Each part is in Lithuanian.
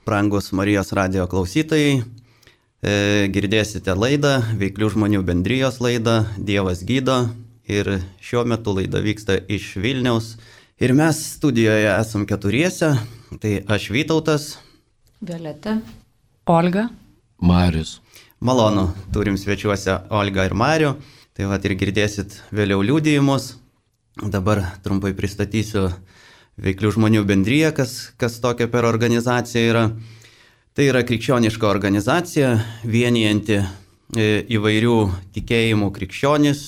Brangus Marijos radijo klausytojai, girdėsite laidą, Veiklių žmonių bendrijos laidą Dievas gydo ir šiuo metu laida vyksta iš Vilniaus. Ir mes studijoje esam keturiese, tai aš Vytautas, Violeta, Olga, Marius. Malonu, turim svečiuose Olgą ir Marių, tai vat ir girdėsit vėliau liudijimus. Dabar trumpai pristatysiu Veiklių žmonių bendriją, kas tokia per organizacija yra. Tai yra krikščioniška organizacija, vienijanti įvairių tikėjimų krikščionis,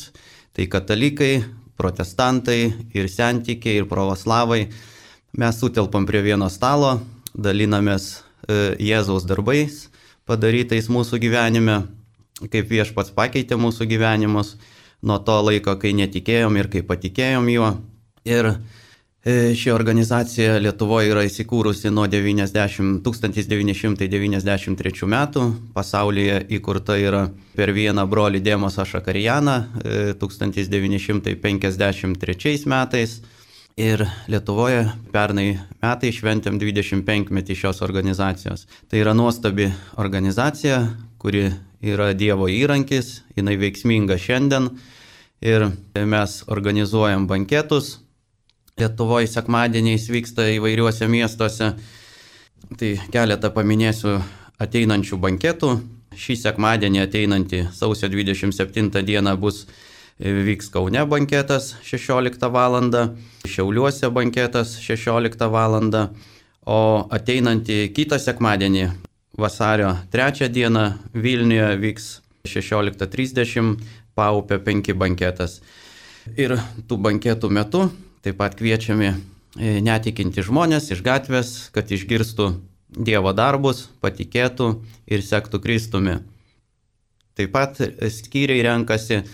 tai katalikai, protestantai ir sentikiai ir pravoslavai. Mes sutelpam prie vieno stalo, dalinamės Jėzaus darbais padarytais mūsų gyvenime, kaip Viešpats pakeitė mūsų gyvenimus nuo to laiko, kai netikėjom ir kai patikėjom juo. Ir ši organizacija Lietuvoje yra įsikūrusi nuo 1993 metų. Pasaulyje įkurta yra per vieną brolį Dėmosą Šakarijaną 1953 metais. Ir Lietuvoje pernai metai šventėm 25-metį šios organizacijos. Tai yra nuostabi organizacija, kuri yra Dievo įrankis, jinai veiksminga šiandien. Ir mes organizuojam banketus. Lietuvoje sekmadieniais vyksta įvairiuose miestuose. Tai keletą paminėsiu ateinančių banketų. Šį sekmadienį ateinantį sausio 27 dieną vyks Kaune banketas 16 val. Šiauliuose banketas 16 val. O ateinantį kitą sekmadienį vasario 3 dieną Vilniuje vyks 16:30 Paupio 5 banketas. Ir tų banketų metu taip pat kviečiami netikinti žmonės iš gatvės, kad išgirstų Dievo darbus, patikėtų ir sektų Kristumi. Taip pat skyriai renkasi.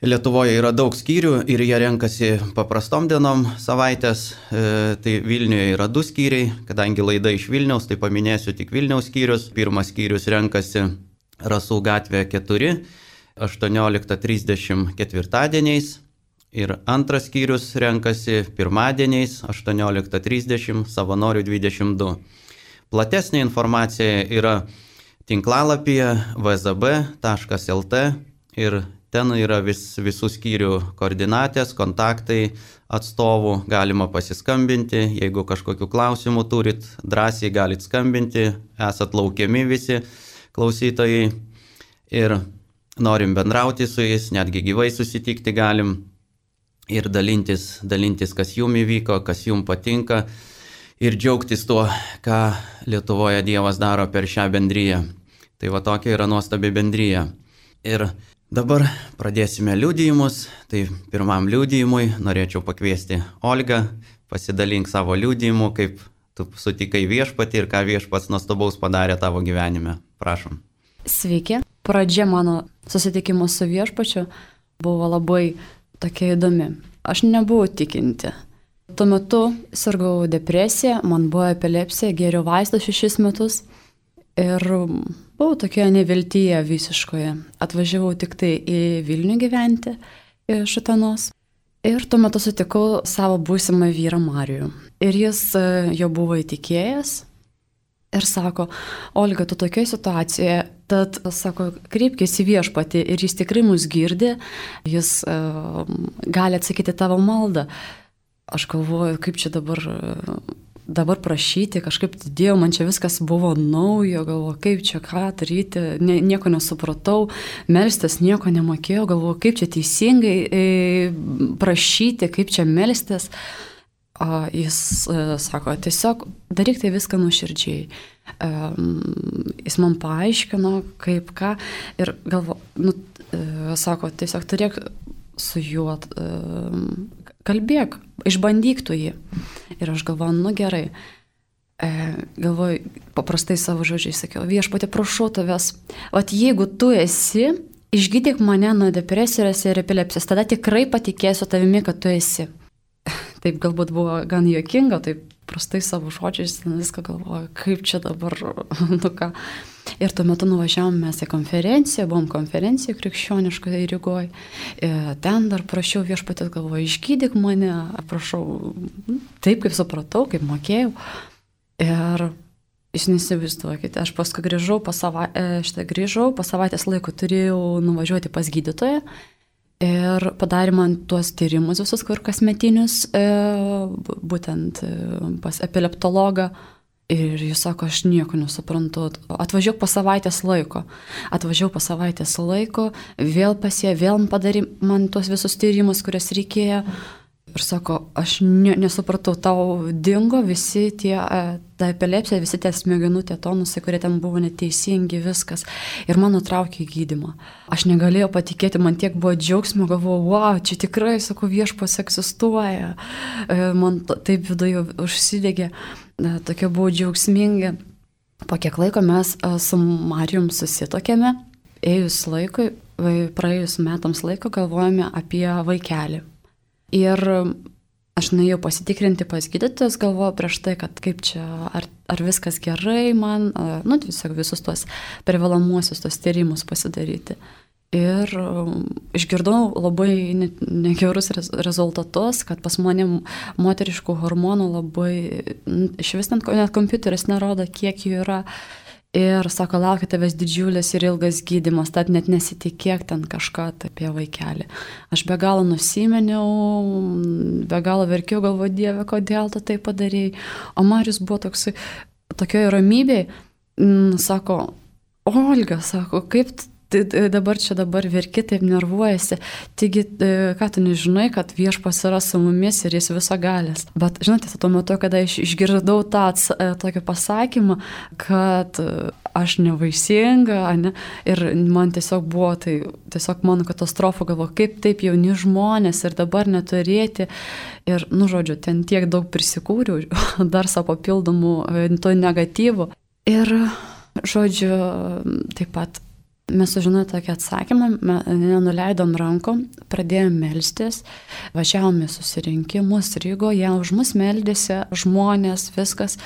Lietuvoje yra daug skyrių ir jie renkasi paprastom dienom savaitės. Tai Vilniuje yra 2 skyriai, kadangi laida iš Vilniaus, tai paminėsiu tik Vilniaus skyrius. Pirmas skyrius renkasi Rasų gatvė 4, 18:30 ketvirtadieniais. Ir antras skyrius renkasi pirmadieniais 18:30, Savanorių 22. Platesnė informacija yra tinklalapyje vzb.lt ir ten yra visų skyrių koordinatės, kontaktai atstovų, galima pasiskambinti, jeigu kažkokių klausimų turit, drąsiai galit skambinti, esat laukiami visi klausytojai ir norim bendrauti su jais, netgi gyvai susitikti galim. Ir dalintis, kas jum įvyko, kas jum patinka ir džiaugtis tuo, ką Lietuvoje Dievas daro per šią bendriją. Tai va tokia yra nuostabi bendrija. Ir dabar pradėsime liudijimus. Tai pirmam liudijimui norėčiau pakviesti Olgą, pasidalink savo liudijimu, kaip tu sutikai Viešpatį ir ką Viešpats nuostabaus padarė tavo gyvenime. Prašom. Sveiki. Pradžia mano susitikimo su Viešpačiu buvo labai tokia įdomi. Aš nebuvau tikinti. Tuo metu sirgau depresiją, man buvo epilepsija, gėriau vaistus 6 metus ir buvau tokioje neviltyje visiškoje. Atvažiavau tik tai į Vilnių gyventi iš Utenos ir tuo metu sutikau savo būsimą vyrą Marijų. Ir jis jo buvo įtikėjęs ir sako, Olga, tu tokioje situacijoje, tad, sako, kreipkis į Viešpatį ir jis tikrai mus girdi, jis gali atsakyti tavo maldą. Aš galvoju, kaip čia dabar prašyti, kažkaip Dieve, man čia viskas buvo naujo, galvoju, kaip čia ką daryti, nieko nesupratau, melstis nieko nemokėjau, galvoju, kaip čia teisingai prašyti, kaip čia melstis. Jis sako, tiesiog daryk tai viską nuoširdžiai. Jis man paaiškino, kaip ką, ir galvoju, sako, tiesiog turėk su juo, kalbėk, išbandyk tu jį. Ir aš galvoju, gerai. Galvoju, paprastai savo žodžiai sakiau, Viešpatie, prašau tavęs, jeigu tu esi, išgydyk mane nuo depresijos ir epilepsijos, tada tikrai patikėsiu tavimi, kad tu esi. Taip galbūt buvo gan juokinga, taip prastai savo žodžiais viską galvoju, kaip čia dabar, ką. Ir tuo metu nuvažiavom mes į konferenciją, buvom konferencijoje krikščioniškoje Rygoje. Ten dar prašiau Viešpaties, galvoju, išgydyk mane, prašau, taip kaip supratau, kaip mokėjau. Ir Jūs nesivaizduokite, aš paskui grįžau, po savaitės laiko turėjau nuvažiuoti pas gydytoją ir padarė man tuos tyrimus visus, kur kasmetinius, būtent pas epileptologą. Ir jis sako, aš nieko nesuprantu, atvažiuok po savaitės laiko, vėl pasie, vėl padarė man tuos visus tyrimus, kurias reikėjo. Ir sako, aš nesupratau, tau dingo visi tie, ta epilepsija, visi tie smegenų, tie tonusai, kurie ten buvo neteisingi, viskas. Ir man nutraukė gydymą. Aš negalėjau patikėti, man tiek buvo džiaugsmo, galvojau, wow, čia tikrai, sako, viešpas egzistuoja. Man taip viduje užsidegė, tokie buvo džiaugsmingi. Po kiek laiko mes su Marijum susitokėme, praėjus metams laiko galvojame apie vaikelį. Ir aš nuėjau pasitikrinti pas gydytojus, galvojau prieš tai, kad kaip čia, ar viskas gerai man, tiesiog visus tuos privalomuosius tos tyrimus pasidaryti. Ir išgirdau labai negerus rezultatus, kad pas mane moteriškų hormonų labai, iš vis net kompiuteris nerodo, kiek jų yra. Ir sako, laukia tavęs didžiulis ir ilgas gydymas, tad net nesitikėk ten kažką apie vaikelį. Aš be galo nusimeniau, be galo verkiau, galvoju, Dieve, kodėl tu tai padarėjai. O Marius buvo tokioje ramybėje, sako, Olga, sako, kaip dabar verki, taip nervuojasi. Taigi, ką tu nežinai, kad viešpas yra su mumis ir jis visagalės. Bet, žinote, tuo metu, kada aš išgirdau tą tokį pasakymą, kad aš nevaisinga, ir man tiesiog buvo, tai tiesiog mano katastrofa, galvoju, kaip taip jauni žmonės ir dabar neturėti. Ir, žodžiu, ten tiek daug prisikūriau, dar savo papildomų to negatyvų. Ir, žodžiu, taip pat mes sužinojome tokį atsakymą, nenuleidom rankom, pradėjome melstis, važiavome susirinkimus Rygoje, už mus meldėsi žmonės, viskas.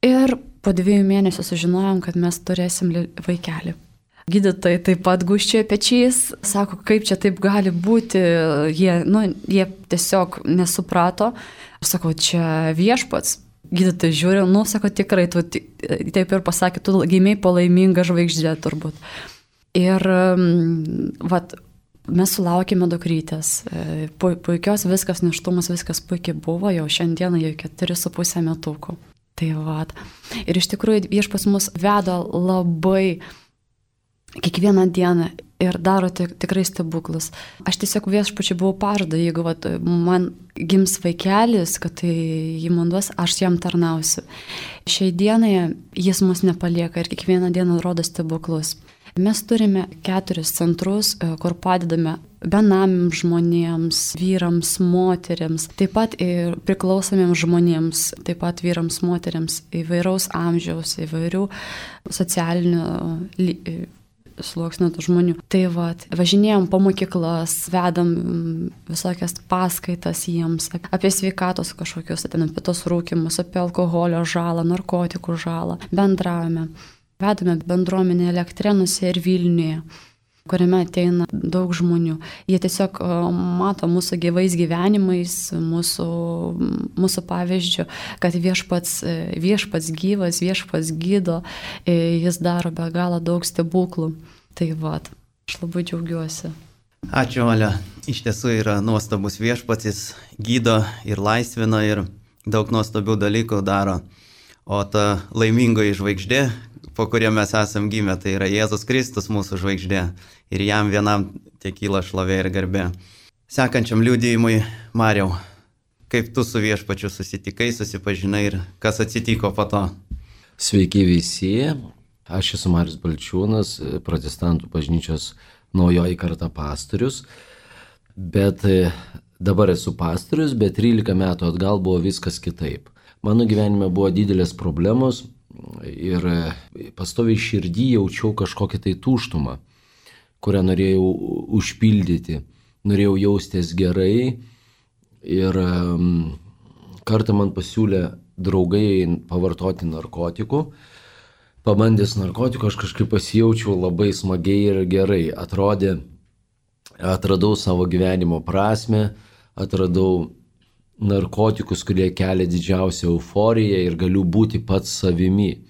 Ir po 2 mėnesių sužinojom, kad mes turėsim vaikelį. Gydytojai taip pat gūžčiojo pečiais, sako, kaip čia taip gali būti, jie tiesiog nesuprato. Aš sakau, čia viešpats. Gydytojai žiūri, sako, tikrai, tu taip ir pasakė, tu gimei palaimingą žvaigždę turbūt. Ir mes sulaukėme dukrytės, puikios viskas, nėštumas, viskas puikiai buvo, jau šiandieną jau 4,5 metukų. Tai ir iš tikrųjų viešpas mus veda labai kiekvieną dieną ir daro tikrai stebuklus. Aš tiesiog viešpačiai buvau pažada, jeigu man gims vaikelis, kad tai jį man duos, aš jam tarnausiu. Šiai dienai jis mus nepalieka ir kiekvieną dieną rodo stebuklus. Mes turime 4 centrus, kur padedame benamiams žmonėms, vyrams, moteriams, taip pat ir priklausomiems žmonėms, taip pat vyrams, moteriams, įvairaus amžiaus, įvairių socialinių sluoksnių žmonių. Tai važinėjom po mokyklas, vedam visokias paskaitas jiems, apie sveikatos kažkokius, apie tos rūkymus, apie alkoholio žalą, narkotikų žalą, bendravome. Vedame bendruomenę Elektrenuose ir Vilniuje, kuriame ateina daug žmonių. Jie tiesiog mato mūsų gyvais gyvenimais, mūsų pavyzdžių, kad viešpats gyvas, viešpats gydo, jis daro be galo daug stebuklų. Tai aš labai džiaugiuosi. Ačiū, Olia. Iš tiesų yra nuostabus viešpats, jis gydo ir laisvina ir daug nuostabių dalykų daro. O ta laimingoji žvaigždė, po kuria mes esam gimę, tai yra Jėzus Kristus mūsų žvaigždė. Ir jam vienam tiek kyla šlovė ir garbė. Sekančiam liudijimui, Mariau, kaip tu su viešpačiu susitikai, susipažinai ir kas atsitiko po to? Sveiki visi, aš esu Marius Balčiūnas, protestantų bažnyčios naujoji karta pastorius, bet dabar esu pastorius, bet 13 metų atgal buvo viskas kitaip. Mano gyvenime buvo didelės problemos ir pastoviai širdį jaučiau kažkokią tai tuštumą, kurią norėjau užpildyti, norėjau jaustis gerai ir kartą man pasiūlė draugai pavartoti narkotikų. Pabandęs narkotikų aš kažkaip pasijaučiau labai smagiai ir gerai. Atradau savo gyvenimo prasmę, atradau narkotikus, kurie kelia didžiausią euforiją ir galiu būti pats savimi.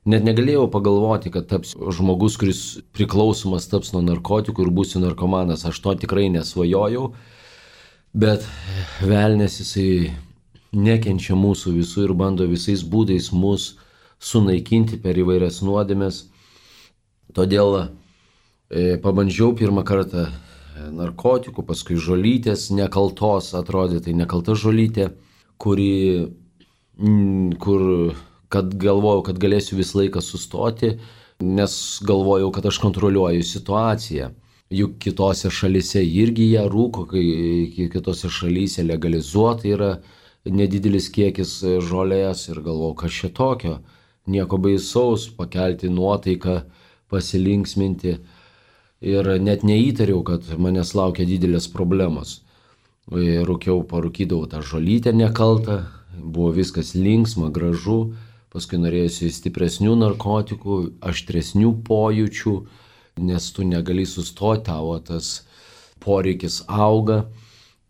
Net negalėjau pagalvoti, kad tapsiu žmogus, kuris priklausomas taps nuo narkotikų ir būsiu narkomanas. Aš to tikrai nesvajojau, bet velnės jisai nekenčia mūsų visų ir bando visais būdais mus sunaikinti per įvairias nuodėmes. Todėl pabandžiau pirmą kartą narkotikų, paskui žolytės, nekaltos, atrodė tai nekalta žolytė, kad galvojau, kad galėsiu visą laiką sustoti, nes galvojau, kad aš kontroliuoju situaciją. Juk kitose šalyse irgi jie rūko, kai kitose šalyse legalizuota yra nedidelis kiekis žolės ir galvojau, kas čia tokio, nieko baisaus, pakelti nuotaiką, pasilinksminti ir net neįtariau, kad manęs laukia didelės problemos. Rūkiau, parūkydavau tą žolytę nekaltą, buvo viskas linksma, gražu. Paskui norėjusi stipresnių narkotikų, aštresnių pojūčių, nes tu negali sustoti, tavo tas poreikis auga.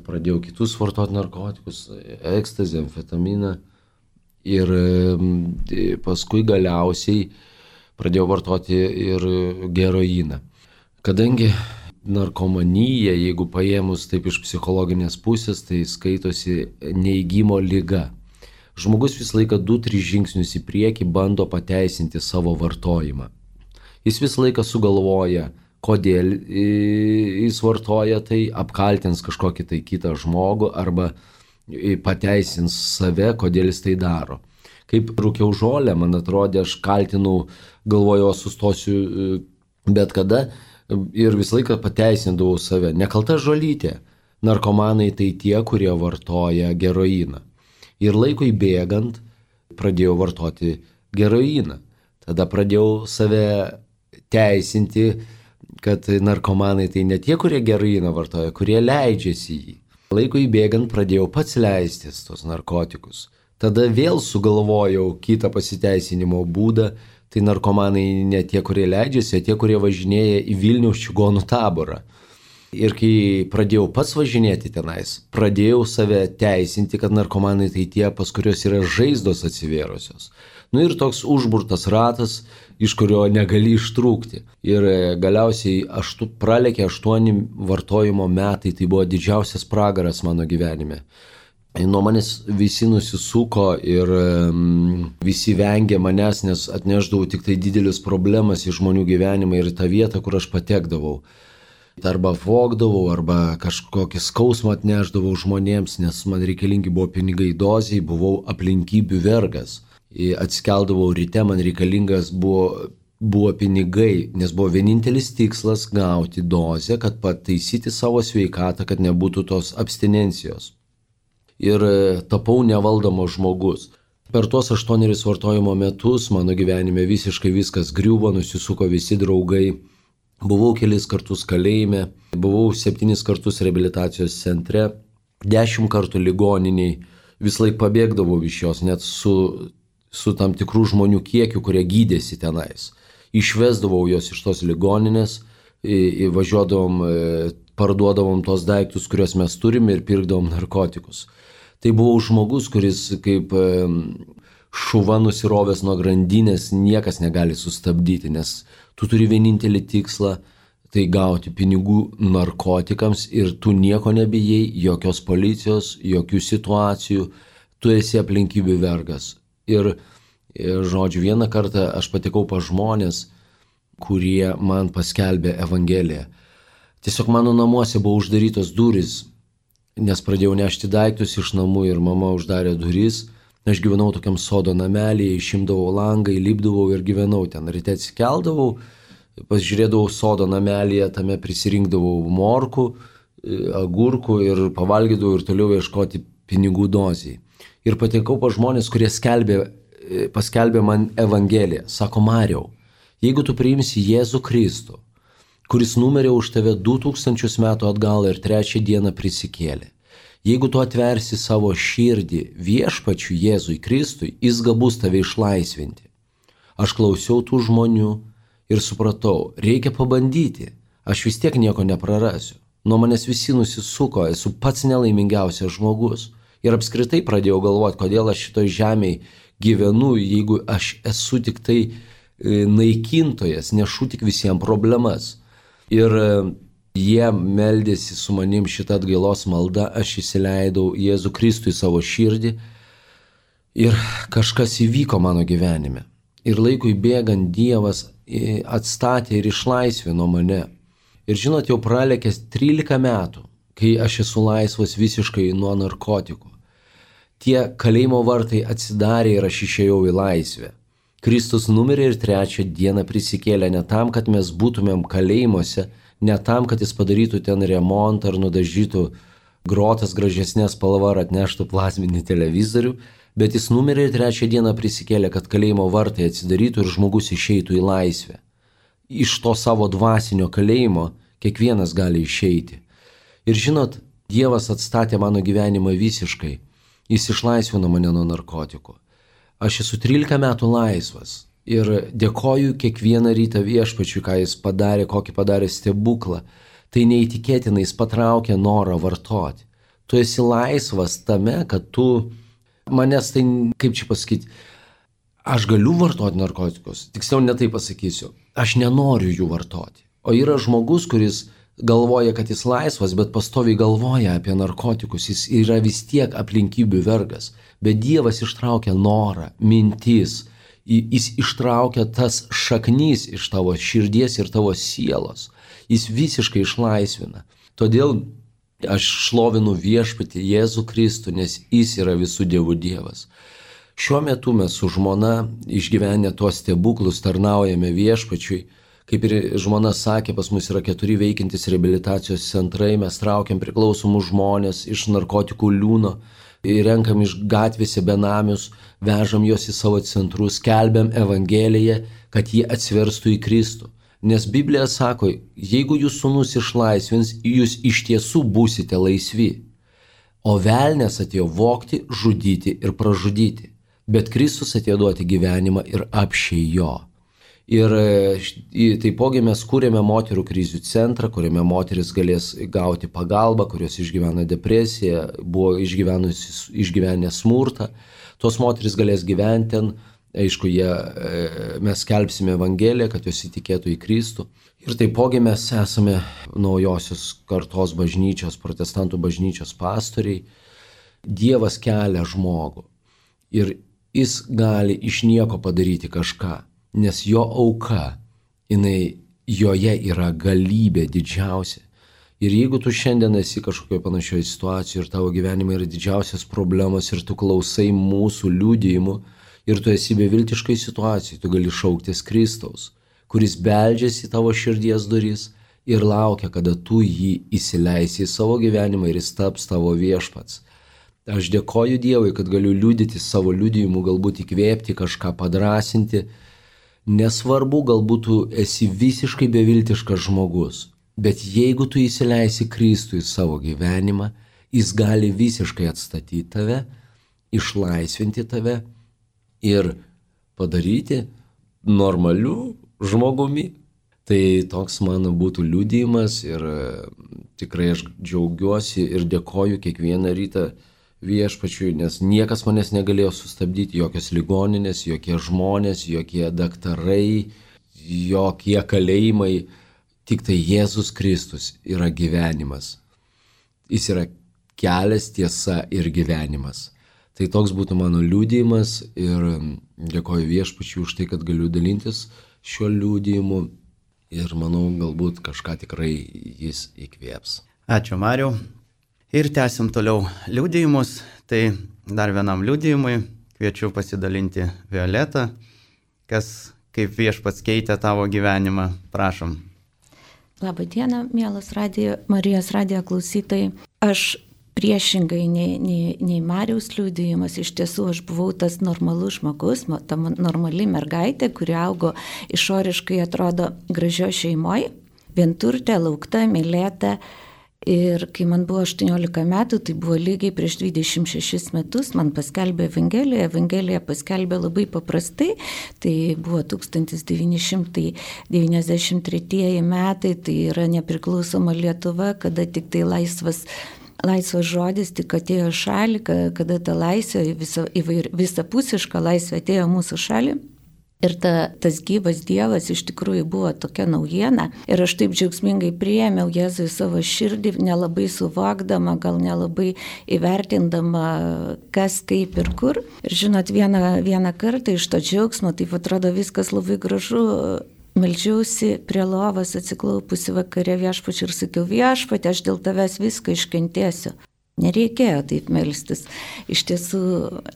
Pradėjau kitus vartoti narkotikus, ekstazį, amfetaminą ir paskui galiausiai pradėjau vartoti ir heroiną. Kadangi narkomanija, jeigu paėmus taip iš psichologinės pusės, tai skaitosi neigimo liga. Žmogus visą laiką 2-3 žingsnius į priekį bando pateisinti savo vartojimą. Jis visą laiką sugalvoja, kodėl jis vartoja tai, apkaltins kažkokį tai kitą žmogų arba pateisins save, kodėl jis tai daro. Kaip rūkiau žolę, man atrodė, aš kaltinau, galvojau, sustosiu bet kada ir visą laiką pateisindavau save. Nekalta žolytė. Narkomanai tai tie, kurie vartoja heroiną. Ir laikui bėgant pradėjau vartoti heroiną. Tada pradėjau save teisinti, kad narkomanai tai ne tie, kurie heroiną vartoja, kurie leidžiasi jį. Laikui bėgant pradėjau pats leistis tos narkotikus. Tada vėl sugalvojau kitą pasiteisinimo būdą, tai narkomanai ne tie, kurie leidžiasi, o tie, kurie važinėja į Vilniaus čigonų taborą. Ir kai pradėjau pats važinėti tenais, pradėjau save teisinti, kad narkomanai tai tie, pas kurios yra žaizdos atsivėrusios. Ir toks užburtas ratas, iš kurio negali ištrūkti. Ir galiausiai pralėkė 8 vartojimo metai, tai buvo didžiausias pragaras mano gyvenime. Nuo manęs visi nusisuko ir visi vengė manęs, nes atnešdavau tik tai didelis problemas į žmonių gyvenimą ir tą vietą, kur aš patekdavau. Arba vogdavau, arba kažkokį skausmą atnešdavau žmonėms, nes man reikalingi buvo pinigai dozijai, buvau aplinkybių vergas. Atsikeldavau ryte, man reikalingas buvo pinigai, nes buvo vienintelis tikslas gauti dozę, kad pataisyti savo sveikatą, kad nebūtų tos abstinencijos. Ir tapau nevaldomas žmogus. Per tuos 8 vartojimo metus mano gyvenime visiškai viskas griuvo, nusisuko visi draugai. Buvau kelis kartus kalėjime, buvau 7 kartus reabilitacijos centre, 10 kartų ligoniniai, vis laik pabėgdavau iš jos, net su tam tikrų žmonių kiekiu, kurie gydėsi tenais. Išvesdavau jos iš tos ligoninės, važiuodavom, parduodavom tos daiktus, kuriuos mes turime ir pirkdavom narkotikus. Tai buvau žmogus, kuris kaip šuva nusirovęs nuo grandinės, niekas negali sustabdyti, nes tu turi vienintelį tikslą, tai gauti pinigų narkotikams ir tu nieko nebijai, jokios policijos, jokių situacijų, tu esi aplinkybių vergas. Ir žodžiu, vieną kartą aš patekau pas žmonės, kurie man paskelbė Evangeliją. Tiesiog mano namuose buvo uždarytos durys, nes pradėjau nešti daiktus iš namų ir mama uždarė duris. Aš gyvenau tokiam sodo namelėje, išimdavau langą, įlipdavau ir gyvenau ten. Ryte atsikeldavau, pasižiūrėdavau sodo namelėje, tame prisirinkdavau morkų, agurkų ir pavalgydavau ir toliau ieškoti pinigų dozijai. Ir patekau pas žmonės, kurie paskelbė man Evangeliją. Sako, Mariau, jeigu tu priimsi Jėzų Kristų, kuris numirė už tave 2000 metų atgal ir 3 dieną prisikėlė, jeigu tu atversi savo širdį viešpačiui Jėzui Kristui, jis gabus tave išlaisvinti. Aš klausiau tų žmonių ir supratau, reikia pabandyti, aš vis tiek nieko neprarasiu. Nuo manęs visi nusisuko, esu pats nelaimingiausias žmogus. Ir apskritai pradėjau galvoti, kodėl aš šitoj žemėje gyvenu, jeigu aš esu tik tai naikintojas, nešu tik visiems problemas. Ir jie meldėsi su manim šitą atgailos maldą, aš įsileidau Jėzų Kristų į savo širdį ir kažkas įvyko mano gyvenime. Ir laikui bėgant Dievas atstatė ir išlaisvino mane. Ir žinot, jau pralekęs 13 metų, kai aš esu laisvas visiškai nuo narkotikų. Tie kalėjimo vartai atsidarė ir aš išėjau į laisvę. Kristus numirė ir 3 dieną prisikėlė ne tam, kad mes būtumėm kalėjimuose, ne tam, kad jis padarytų ten remontą ar nudažytų grotas gražesnė spalva ar atneštų plazminį televizorių, bet jis numirė ir 3 dieną prisikėlė, kad kalėjimo vartai atsidarytų ir žmogus išeitų į laisvę. Iš to savo dvasinio kalėjimo kiekvienas gali išeiti. Ir žinot, Dievas atstatė mano gyvenimą visiškai. Jis išlaisvino mane nuo narkotikų. Aš esu 13 metų laisvas ir dėkoju kiekvieną rytą Viešpačiui, ką jis padarė, kokį padarė stebuklą. Tai neįtikėtinai, jis patraukė norą vartoti. Tu esi laisvas tame, kad tu manęs tai, kaip čia pasakyti, aš galiu vartoti narkotikus, tiksliau netai pasakysiu, aš nenoriu jų vartoti. O yra žmogus, kuris galvoja, kad jis laisvas, bet pastoviai galvoja apie narkotikus, jis yra vis tiek aplinkybių vergas. Bet Dievas ištraukia norą, mintis, jis ištraukia tas šaknys iš tavo širdies ir tavo sielos. Jis visiškai išlaisvina. Todėl aš šlovinu Viešpatį Jėzų Kristų, nes jis yra visų dievų Dievas. Šiuo metu mes su žmona išgyvenę tuos stebuklus tarnaujame Viešpačiui. Kaip ir žmona sakė, pas mus yra 4 veikiantys reabilitacijos centrai, mes traukiam priklausomus žmonės iš narkotikų liūno, renkam iš gatvėse benamius, vežam juos į savo centrus, skelbiam Evangeliją, kad jie atsiverstų į Kristų. Nes Biblija sako, jeigu jūs sūnus išlaisvins, jūs iš tiesų būsite laisvi. O velnias atėjo vogti, žudyti ir pražudyti. Bet Kristus atėjo duoti gyvenimą ir apsčiai jo. Ir taipogi mes kūrėme moterų krizių centrą, kuriame moteris galės gauti pagalbą, kurios išgyvena depresiją, buvo išgyvenę smurtą. Tos moteris galės gyventi ten, aišku, mes skelbsime Evangeliją, kad jos įtikėtų į Kristų. Ir taipogi mes esame naujosios kartos bažnyčios, protestantų bažnyčios pastoriai. Dievas kelia žmogų ir jis gali iš nieko padaryti kažką. Nes jo auka, joje yra galybė didžiausia. Ir jeigu tu šiandien esi kažkokioje panašioje situacijoje ir tavo gyvenime yra didžiausias problemos ir tu klausai mūsų liudijimų ir tu esi beviltiškai situacijai, tu gali šauktis Kristaus, kuris beldžiasi į tavo širdies duris ir laukia, kada tu jį įsileisi į savo gyvenimą ir jis taps tavo viešpats. Aš dėkoju Dievui, kad galiu liudyti savo liudijimu, galbūt įkvėpti kažką, padrasinti. Nesvarbu, galbūt tu esi visiškai beviltiškas žmogus, bet jeigu tu įsileisi Kristų į savo gyvenimą, jis gali visiškai atstatyti tave, išlaisvinti tave ir padaryti normaliu žmogumi. Tai toks mano būtų liudijimas ir tikrai aš džiaugiuosi ir dėkoju kiekvieną rytą Viešpačiui, nes niekas manęs negalėjo sustabdyti, jokios ligoninės, jokie žmonės, jokie daktarai, jokie kalėjimai, tik tai Jėzus Kristus yra gyvenimas. Jis yra kelias, tiesa ir gyvenimas. Tai toks būtų mano liudijimas ir dėkoju Viešpačiui už tai, kad galiu dalintis šiuo liudijimu ir manau, galbūt kažką tikrai jis įkvėps. Ačiū, Mariau. Ir tęsim toliau liudijimus. Tai dar vienam liudijimui kviečiu pasidalinti Violetą, kaip Viešpats keitė tavo gyvenimą. Prašom. Labą dieną, mielas Marijos radijo klausytojai. Aš priešingai nei Mariaus liudijimas, iš tiesų aš buvau tas normalus žmogus, ta normali mergaitė, kuri augo išoriškai atrodo gražio šeimoje, vienturtė, laukta, mylėta. Ir kai man buvo 18 metų, tai buvo lygiai prieš 26 metus, man paskelbė Evangeliją. Evangeliją paskelbė labai paprastai, tai buvo 1993 metai, tai yra nepriklausoma Lietuva, kada tik tai laisvas laisvas žodis tik atėjo šalį, kada ta laisvė, visapusiška laisvė atėjo mūsų šalį. Ir tas gyvas Dievas iš tikrųjų buvo tokia naujiena. Ir aš taip džiaugsmingai priėmiau Jėzų į savo širdį, nelabai suvokdama, gal nelabai įvertindama, kas, kaip ir kur. Ir žinot, vieną kartą iš to džiaugsmo, taip atrodo viskas labai gražu. Meldžiausi prie lovos atsiklaupusi vakare Viešpačiui ir sakiau, Viešpatie, aš dėl tavęs viską iškentėsiu. Nereikėjo taip melstis. Iš tiesų,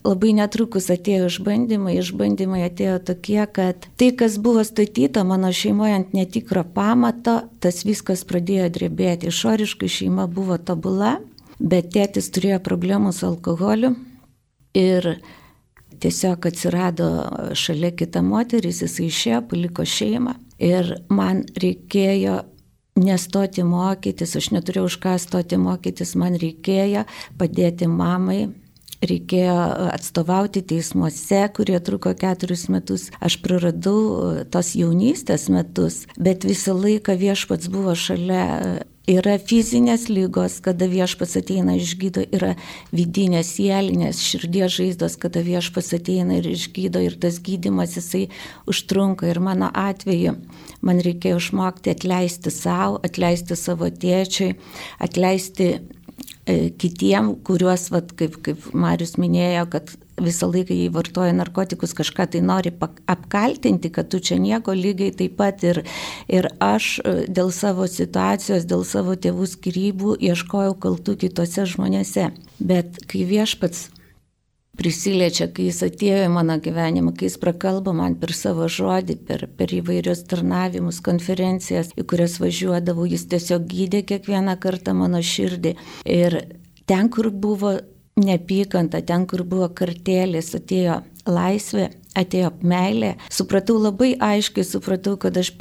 labai netrukus atėjo išbandymai atėjo tokie, kad tai, kas buvo statyta mano šeimoje ant netikro pamato, tas viskas pradėjo drebėti. Išoriškai šeima buvo tobula, bet tėtis turėjo problemų su alkoholiu ir tiesiog atsirado šalia kita moteris, jis išėjo, paliko šeimą ir man reikėjo nestoti mokytis, aš neturėjau už ką stoti mokytis, man reikėjo padėti mamai, reikėjo atstovauti teismuose, kurie truko 4 metus. Aš praradau tos jaunystės metus, bet visą laiką Viešpats buvo šalia. Yra fizinės lygos, kada Viešpats ateina ir išgydo, yra vidinės sielinės širdies žaizdos, kada Viešpats ateina ir išgydo ir tas gydymas jisai užtrunka. Ir mano atveju man reikėjo išmokti atleisti savo, atleisti savo tėčiui, atleisti kitiem, kuriuos, kaip Marius minėjo, kad visą laiką jį vartoja narkotikus, kažką tai nori apkaltinti, kad tu čia nieko, lygiai taip pat ir aš dėl savo situacijos, dėl savo tėvų skyrybų ieškojau kaltų kitose žmonėse. Bet kai Viešpats prisiliečia, kai jis atėjo į mano gyvenimą, kai jis prakalba man per savo žodį, per įvairius tarnavimus, konferencijas, į kurias važiuodavau, jis tiesiog gydė kiekvieną kartą mano širdį. Ir ten, kur buvo neapykanta, ten, kur buvo kartėlis, atėjo laisvė, atėjo meilė. Supratau labai aiškiai, kad aš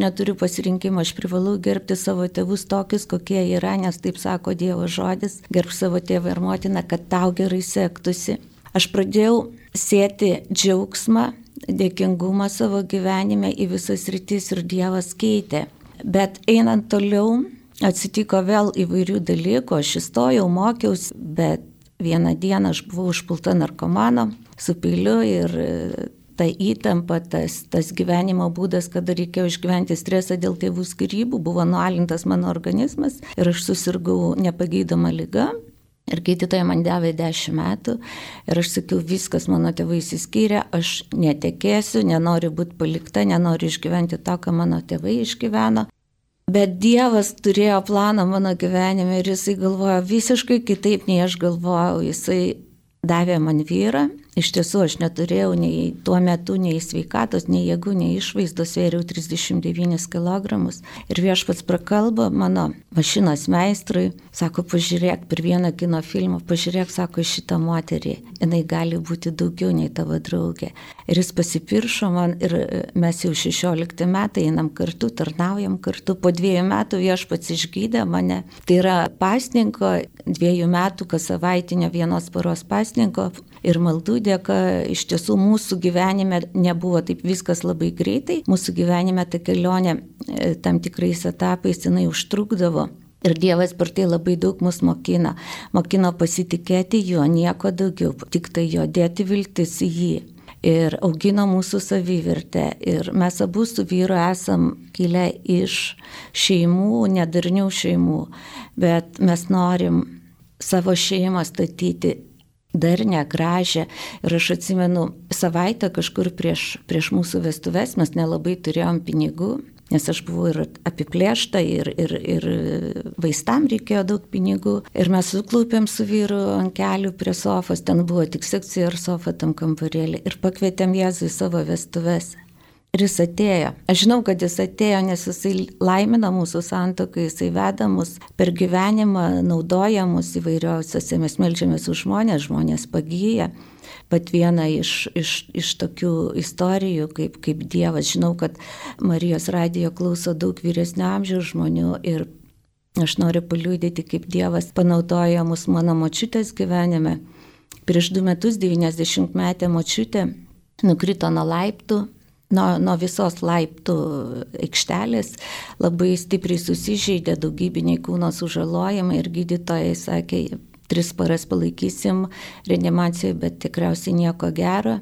neturiu pasirinkimo, aš privalau gerbti savo tėvus tokius, kokie yra, nes taip sako Dievo žodis, gerb savo tėvą ir motiną, kad tau gerai sektųsi. Aš pradėjau sėti džiaugsmą, dėkingumą savo gyvenime į visas rytis ir Dievas keitė. Bet einant toliau, atsitiko vėl įvairių dalykų, aš įstojau, mokiausi, bet vieną dieną aš buvau užpulta narkomano su peiliu ir ta įtampa, tas gyvenimo būdas, kada reikėjo išgyventi stresą dėl tėvų skyrybų, buvo nualintas mano organizmas ir aš susirgau nepagydoma liga. Ir gydytoja man davė 10 metų ir aš sakiau, viskas, mano tėvai išsiskyrė, aš netekėsiu, nenoriu būti palikta, nenoriu išgyventi to, ką mano tėvai išgyveno. Bet Dievas turėjo planą mano gyvenime ir jisai galvojo visiškai kitaip, nei aš galvojau. Jisai davė man vyrą. Iš tiesų aš neturėjau nei tuo metu, nei sveikatos, nei jėgų, nei išvaizdos, svėriau 39 kg. Ir Viešpats prakalba mano mašinos meistrui, sako, pažiūrėk per vieną kino filmą, pažiūrėk, sako, šitą moterį, jinai gali būti daugiau nei tavo draugė. Ir jis pasipiršo man ir mes jau 16 metai einam kartu, tarnaujam kartu. Po 2 metų Viešpats išgydė mane. Tai yra pasninko 2 metų, kas savaitinio 1 paros pasninko ir maldų dėka. Iš tiesų mūsų gyvenime nebuvo taip viskas labai greitai. Mūsų gyvenime ta kelionė tam tikrais etapais jinai užtrukdavo. Ir Dievas per tai labai daug mus mokino. Mokino pasitikėti juo, nieko daugiau, tik tai jo dėti viltis į jį. Ir augino mūsų savivertę. Ir mes abu su vyru esam kilę iš šeimų, nedarnių šeimų. Bet mes norim savo šeimą statyti darnią, gražią. Ir aš atsimenu, savaitę kažkur prieš mūsų vestuves mes nelabai turėjom pinigų, nes aš buvau ir apiplėšta, ir vaistam reikėjo daug pinigų. Ir mes suklaupėm su vyru ant kelių prie sofos, ten buvo tik sekcija ir sofa tam kambarėlį. Ir pakvietėm Jėzų į savo vestuves. Ir jis atėjo. Aš žinau, kad jis atėjo, nes jisai laimina mūsų santuoką, jisai veda mus per gyvenimą, naudoja mus įvairiausiose, mes meldžiamės už žmonės pagyja. Bet viena iš tokių istorijų, kaip Dievas, žinau, kad Marijos radijo klauso daug vyresnio amžiaus žmonių ir aš noriu paliudyti, kaip Dievas panaudojo mus mano močiutės gyvenime. Prieš 2 metus 90-metė močiutė nukrito nuo laiptų nuo visos laiptų aikštelės labai stipriai susižeidė, daugybiniai kūno sužalojimai ir gydytojai sakė, 3 paras palaikysim reanimacijoje, bet tikriausiai nieko gero.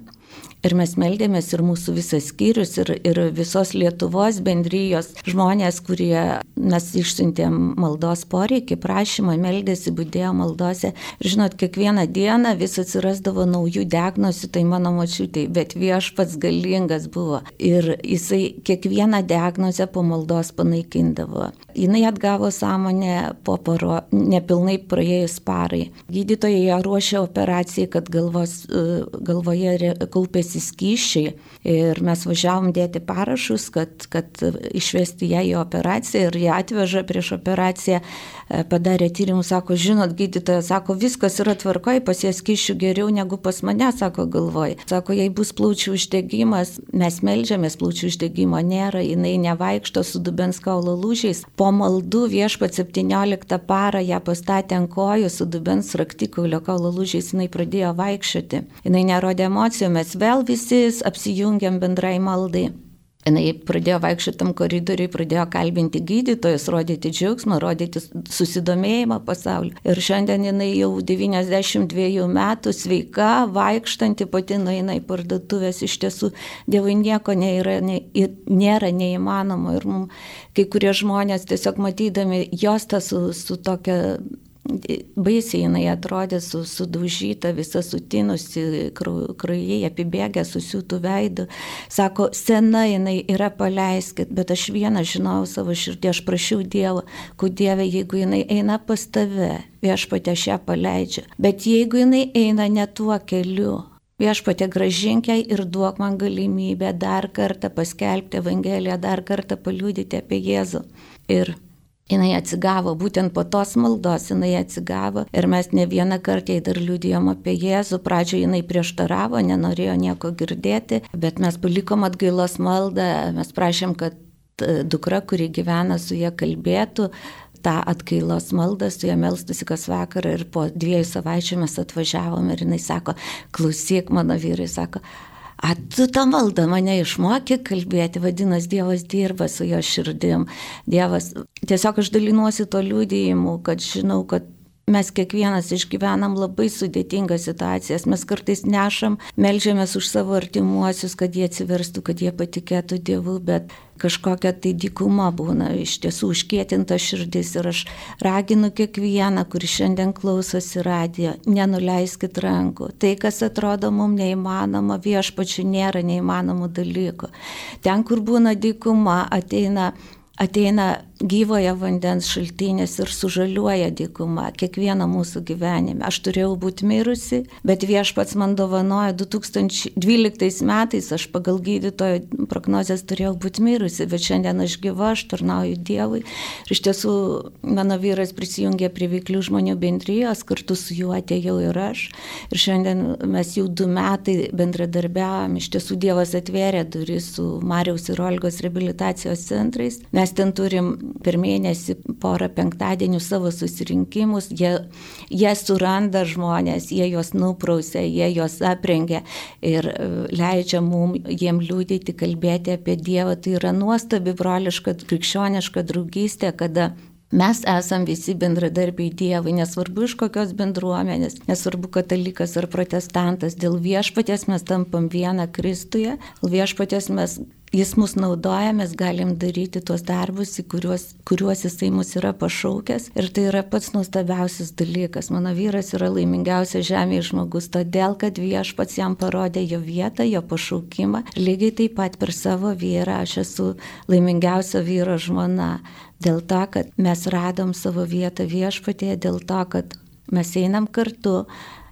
Ir mes meldėmės ir mūsų visas skyrius, ir visos Lietuvos bendrijos žmonės, kurie mes išsiuntėm maldos poreikį, prašymą, meldėsi, budėjo maldose. Ir žinot, kiekvieną dieną vis atsirasdavo naujų diagnozių, tai mano močiutei, bet Viešpats galingas buvo. Ir jisai kiekvieną diagnozę po maldos panaikindavo. Jinai atgavo sąmonę po nepilnai praėjus parai. Gydytojai ją ruošė operacijai, kad galvoje kaupėsi skysčiai ir mes važiavom dėti parašus, kad išvesti ją į operaciją ir ją atveža prieš operaciją, padarė tyrimus, sako, žinot, gydytoja, sako, viskas yra tvarkoj, pas ją skysčių geriau negu pas mane, sako, galvoj. Sako, jei bus plaučių uždegimas, mes meldžiamės, plaučių uždegimo nėra, jinai nevaikšto su dubens kaulo lūžiais. Po maldų Viešpats 17 parą ją pastatė ant kojų su dubens raktikaulio kaulo lūžiais, jinai pradėjo vaikščioti. Jinai nerodė emocijų, mes vėl visi apsijungiam bendrai maldai. Jinai pradėjo vaikščioti tam koridoriui, pradėjo kalbinti gydytojus, rodyti džiaugsmą, rodyti susidomėjimą pasauliu. Ir šiandien jinai jau 92 metų sveika, vaikštanti, pati nueina į parduotuvės. Iš tiesų, Dievui nieko nėra neįmanoma. Ir mums kai kurie žmonės tiesiog matydami jos tą su tokia baisiai jinai atrodė sudaužyta, visa sutinusi, kraujai apibėgę, susiūtų veidų. Sako, sena jinai yra, paleiskit, bet aš vieną žinau savo širdį, aš prašiau Dievo, kad Dieve, jeigu jinai eina pas tave, Viešpatie, aš ją paleidžiu. Bet jeigu jinai eina ne tuo keliu, Viešpatie, grąžink jai ir duok man galimybę dar kartą paskelbti Evangeliją, dar kartą paliudyti apie Jėzų. Ir jinai atsigavo, būtent po tos maldos jinai atsigavo ir mes ne vieną kartą jai dar liudijom apie Jėzų. Pradžioje jinai prieštaravo, nenorėjo nieko girdėti, bet mes palikom atgailos maldą, mes prašėm, kad dukra, kuri gyvena su ją, kalbėtų tą atgailos maldą, su ją melstųsi kas vakarą ir po 2 savaičių mes atvažiavom ir jinai sako, klausyk, mano vyrai, sako, tu tą maldą mane išmokė kalbėti, vadinasi, Dievas dirba su jo širdim. Dievas, tiesiog aš dalinuosi to liudijimu, kad žinau, kad mes kiekvienas išgyvenam labai sudėtingas situacijas, mes kartais nešam, meldžiamės už savo artimuosius, kad jie atsiverstų, kad jie patikėtų Dievu, bet kažkokia tai dykuma būna, iš tiesų užkietinta širdis ir aš raginu kiekvieną, kuris šiandien klausosi radijo, nenuleiskit rankų. Tai, kas atrodo mums neįmanoma, Viešpačiui nėra neįmanomų dalykų. Ten, kur būna dykuma, ateina gyvojo vandens šaltinis ir sužaliuoja dykuma kiekvieną mūsų gyvenime. Aš turėjau būti mirusi, bet Viešpats man dovanojo 2012 metais, aš pagal gydytojo prognozes turėjau būti mirusi, bet šiandien aš gyva, aš tarnauju Dievui. Ir iš tiesų mano vyras prisijungė prie Veiklių žmonių bendrijos, kartu su juo atėjau ir aš. Ir šiandien mes jau 2 metai bendradarbiavom, iš tiesų Dievas atvėrė duris su Mariaus ir Olgos reabilitacijos centrais. Mes ten turim per mėnesį porą penktadienių savo susirinkimus, jie suranda žmonės, jie juos nuprausia, jie juos aprengia ir leidžia jiem liudyti, kalbėti apie Dievą. Tai yra nuostabi broliška, krikščioniška draugystė, kada mes esam visi bendradarbiai Dievui, nesvarbu iš kokios bendruomenės, nesvarbu katalikas ar protestantas, dėl Viešpaties mes tampam vieną Kristuje, dėl Viešpaties Jis mus naudoja, mes galim daryti tuos darbus, į kuriuos Jisai mus yra pašaukęs. Ir tai yra pats nuostabiausias dalykas. Mano vyras yra laimingiausias žemėje žmogus, todėl, kad Viešpats jam parodė jo vietą, jo pašaukimą. Lygiai taip pat per savo vyrą aš esu laimingiausia vyro žmona. Dėl to, kad mes radom savo vietą Viešpatyje, dėl to, kad mes einam kartu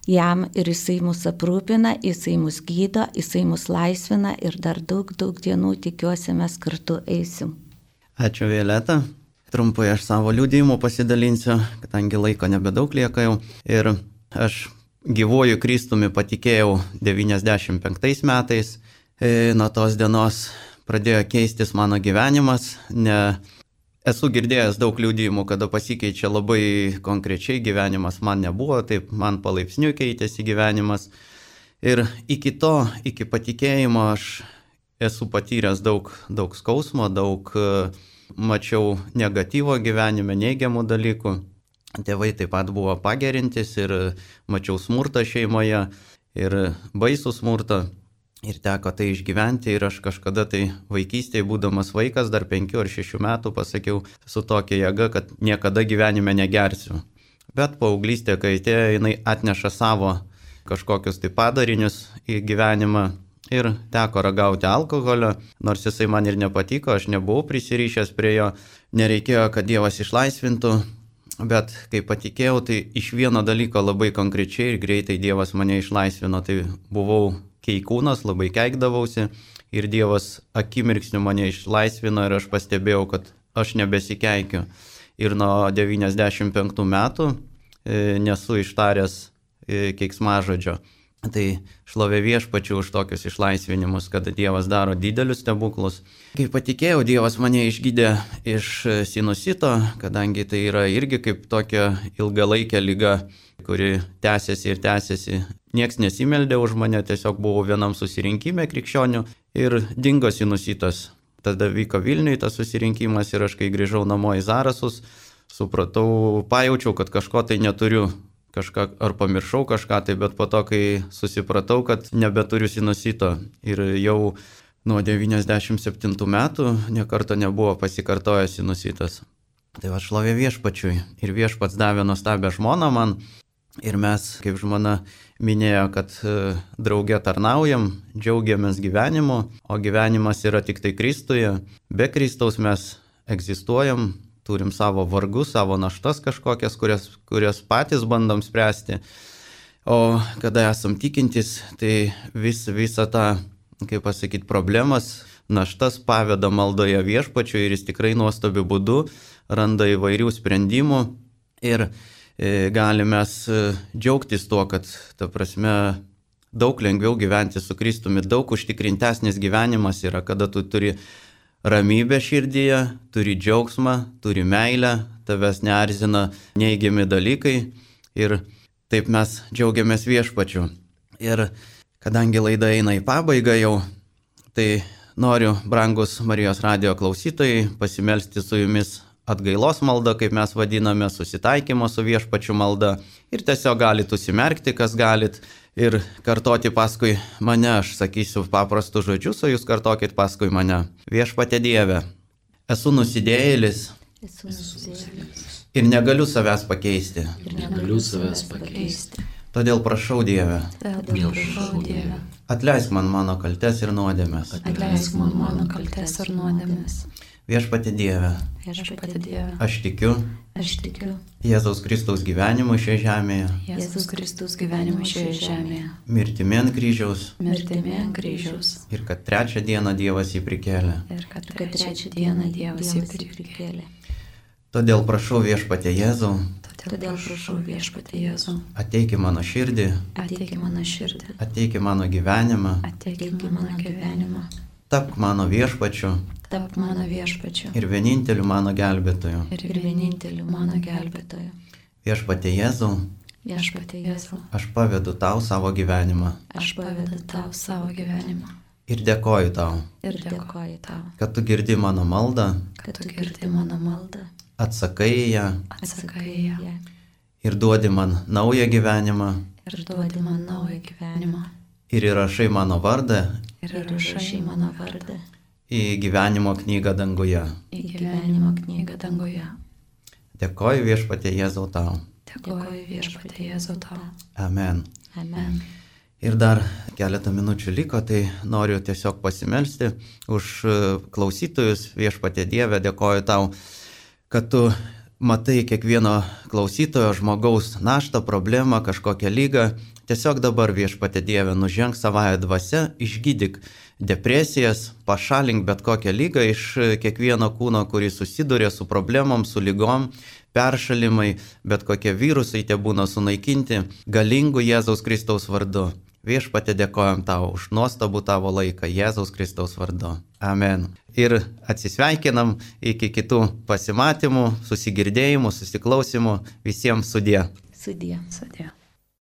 jam ir Jisai mus aprūpina, Jisai mus gydo, Jisai mus laisvina ir dar daug dienų tikiuosi mes kartu eisim. Ačiū, Violeta. Trumpai aš savo liudijimu pasidalinsiu, kadangi laiko nebedaug lieka jau. Ir aš gyvuoju Kristumi patikėjau 95 metais. Nuo tos dienos pradėjo keistis mano gyvenimas. Esu girdėjęs daug liudijimų, kada pasikeičia labai konkrečiai gyvenimas, man nebuvo, taip man palaipsniui keitėsi gyvenimas. Ir iki patikėjimo aš esu patyręs daug skausmo, daug mačiau negatyvo gyvenime, neigiamų dalykų. Tėvai taip pat buvo pagerintis ir mačiau smurtą šeimoje ir baisų smurtą. Ir teko tai išgyventi ir aš kažkada tai vaikystėje, būdamas vaikas, dar 5 ar 6 metų pasakiau su tokia jėga, kad niekada gyvenime negersiu. Bet paauglystė, kai atėjo, jinai atneša savo kažkokius tai padarinius į gyvenimą ir teko ragauti alkoholio, nors jisai man ir nepatiko, aš nebuvau prisirišęs prie jo, nereikėjo, kad Dievas išlaisvintų, bet kai patikėjau, tai iš vieno dalyko labai konkrečiai ir greitai Dievas mane išlaisvino, tai buvau keikūnas, labai keikdavausi ir Dievas akimirksniu mane išlaisvino ir aš pastebėjau, kad aš nebesikeikiu. Ir nuo 95 metų nesu ištaręs keiksmažodžio. Tai šlovė Viešpačiui už tokius išlaisvinimus, kad Dievas daro didelius stebuklus. Kai patikėjau, Dievas mane išgydė iš sinusito, kadangi tai yra irgi kaip tokia ilgalaikė liga, kuri tęsiasi ir tęsiasi. Niekas nesimeldė už mane, tiesiog buvau vienam susirinkime krikščionių ir dingo sinusitas. Tada vyko Vilniuje tas susirinkimas ir aš kai grįžau namo į Zarasus, supratau, pajaučiau, kad kažko tai neturiu. Kažką, ar pamiršau kažką tai, bet po to, kai susipratau, kad nebeturiu sinusito ir jau nuo 97 metų niekarto nebuvo pasikartojęs sinusitas. Tai va šlovė Viešpačiui ir Viešpats davė nuostabią žmoną man ir mes, kaip žmona minėjo, kad drauge tarnaujam, džiaugiamės gyvenimu, o gyvenimas yra tik tai Kristuje. Be Kristaus mes egzistuojam. Turim savo vargus, savo naštas kažkokias, kurias patys bandom spręsti. O kada esam tikintis, tai visą tą, kaip pasakyti, problemas, naštas paveda maldoje Viešpačiui ir jis tikrai nuostabiu būdu randa įvairių sprendimų. Ir galime džiaugtis tuo, kad, ta prasme, daug lengviau gyventi su Kristumi, daug užtikrintesnis gyvenimas yra, kada tu turi ramybę širdyje, turi džiaugsmą, turi meilę, tavęs neerzina neigiami dalykai ir taip mes džiaugiamės Viešpačiu. Ir kadangi laida eina į pabaigą jau, tai noriu, brangus Marijos radijo klausytojai, pasimelsti su jumis atgailos malda, kaip mes vadiname, susitaikymo su Viešpačiu malda. Ir tiesiog galit užsimerkti, kas galit. Ir kartoti paskui mane, aš sakysiu paprastus žodžius, o jūs kartokit paskui mane. Viešpatie Dieve, esu nusidėjėlis ir negaliu savęs pakeisti. Todėl prašau Dieve, atleisk man mano kaltes ir nuodėmes. Viešpatie Dieve, aš tikiu Jėzaus Kristaus gyvenimu šioje žemėje, mirtimi ant kryžiaus, ir kad trečią dieną Dievas jį prikėlė. Todėl prašau Viešpatie Jėzau, ateik į mano širdį, ateik į mano gyvenimą, tapk mano Viešpačiu ir vieninteliu mano gelbėtoju. Viešpatie Jėzau, aš pavedu tau savo gyvenimą. Ir dėkoju tau, kad tu girdi mano maldą, atsakai į ją ir duodi man naują gyvenimą. Ir įrašai mano vardą į gyvenimo knygą danguje. Dėkoju Viešpatie Jėzau tau. Amen. Ir dar keletą minučių liko, tai noriu tiesiog pasimelsti už klausytojus. Viešpatie Dieve, dėkoju tau, kad tu matai kiekvieno klausytojo žmogaus naštą, problemą, kažkokią lygą. Tiesiog dabar Viešpatie Dieve, nuženk savąją dvasią, išgydyk depresijas, pašalink bet kokią lygą iš kiekvieno kūno, kuris susiduria su problemom, su lygom, peršalimai, bet kokie virusai tie būna sunaikinti galingų Jėzaus Kristaus vardu. Viešpatie, dėkojam tau už nuostabų tavo laiką Jėzaus Kristaus vardu. Amen. Ir atsisveikinam iki kitų pasimatymų, susigirdėjimų, susiklausimų. Visiems sudie. Sudie.